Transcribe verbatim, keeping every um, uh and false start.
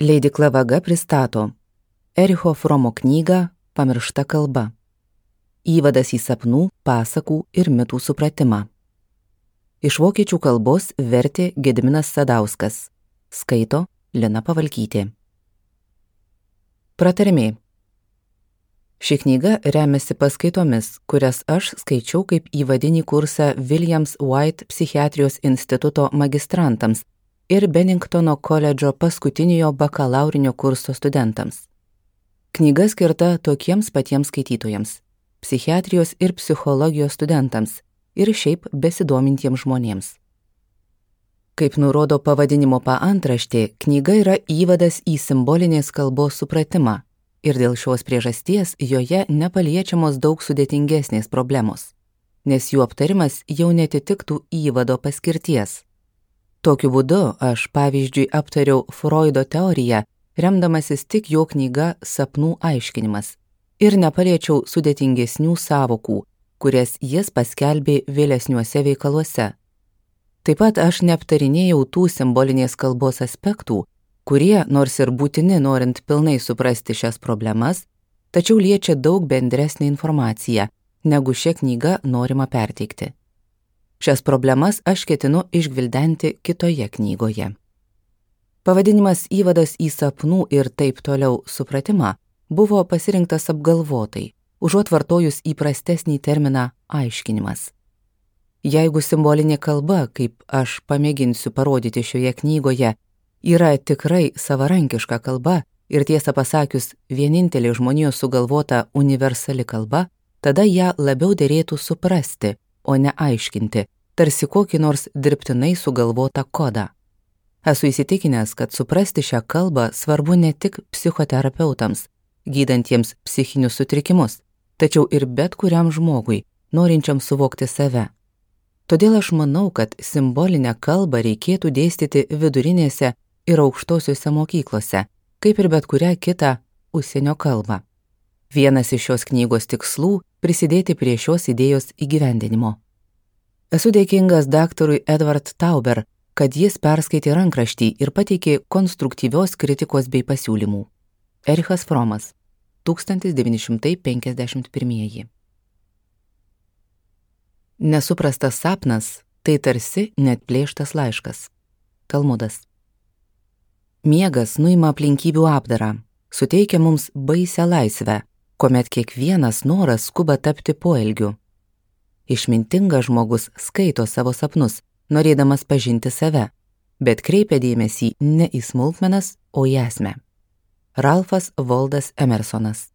Leidykla Vaga pristato Ericho Fromo knygą Pamiršta kalba. Įvadas į sapnų, pasakų ir mitų supratimą. Iš vokiečių kalbos vertė Gediminas Sadauskas. Skaito Lina Pavalkytė. Pratarmė. Ši knyga remiasi paskaitomis, kurias aš skaičiau kaip įvadinį kursą Williams White psichiatrijos instituto magistrantams ir Benningtono koledžo paskutiniojo bakalaurinio kurso studentams. Knyga skirta tokiems patiems skaitytojams – psichiatrijos ir psichologijos studentams ir šiaip besidomintiems žmonėms. Kaip nurodo pavadinimo paantraštė, knyga yra įvadas į simbolinės kalbos supratimą ir dėl šios priežasties joje nepaliečiamos daug sudėtingesnės problemos, nes jų aptarimas jau netitiktų įvado paskirties. Tokiu būdu aš pavyzdžiui aptariau Freudo teoriją, remdamasis tik jo knyga Sapnų aiškinimas ir nepaliečiau sudėtingesnių sąvokų, kurias jis paskelbė vėlesniuose veikaluose. Taip pat aš neaptarinėjau tų simbolinės kalbos aspektų, kurie, nors ir būtini norint pilnai suprasti šias problemas, tačiau liečia daug bendresnę informaciją, negu šią knygą norima perteikti. Šias problemas aš ketinu išgvildenti kitoje knygoje. Pavadinimas Įvadas į sapnų ir taip toliau supratimą buvo pasirinktas apgalvotai, užuot vartojus įprastesnį terminą aiškinimas. Jeigu simbolinė kalba, kaip aš pamėginsiu parodyti šioje knygoje, yra tikrai savarankiška kalba ir tiesą pasakius vienintelė žmonijos sugalvota universali kalba, tada ją labiau derėtų suprasti, o ne aiškinti, tarsi kokį nors dirbtinai sugalvotą kodą. Esu įsitikinęs, kad suprasti šią kalbą svarbu ne tik psichoterapeutams, gydantiems psichinius sutrikimus, tačiau ir bet kuriam žmogui, norinčiam suvokti save. Todėl aš manau, kad simbolinę kalbą reikėtų dėstyti vidurinėse ir aukštosiuose mokyklose, kaip ir bet kurią kitą užsienio kalbą. Vienas iš šios knygos tikslų – prisidėti prie šios idėjos įgyvendinimo. Esu dėkingas daktarui Edward Tauber, kad jis perskaitė rankraštį ir pateikė konstruktyvios kritikos bei pasiūlymų. Erichas Fromas, tūkstantis devyni šimtai penkiasdešimt pirmieji. Nesuprastas sapnas – tai tarsi neatplėštas laiškas. Talmudas. Miegas nuima aplinkybių apdarą, suteikia mums baisią laisvę, kuomet kiekvienas noras skuba tapti poelgiu. Išmintingas žmogus skaito savo sapnus, norėdamas pažinti save, bet kreipia dėmesį ne į smulkmenas, o į esmę. Ralfas Waldas Emersonas.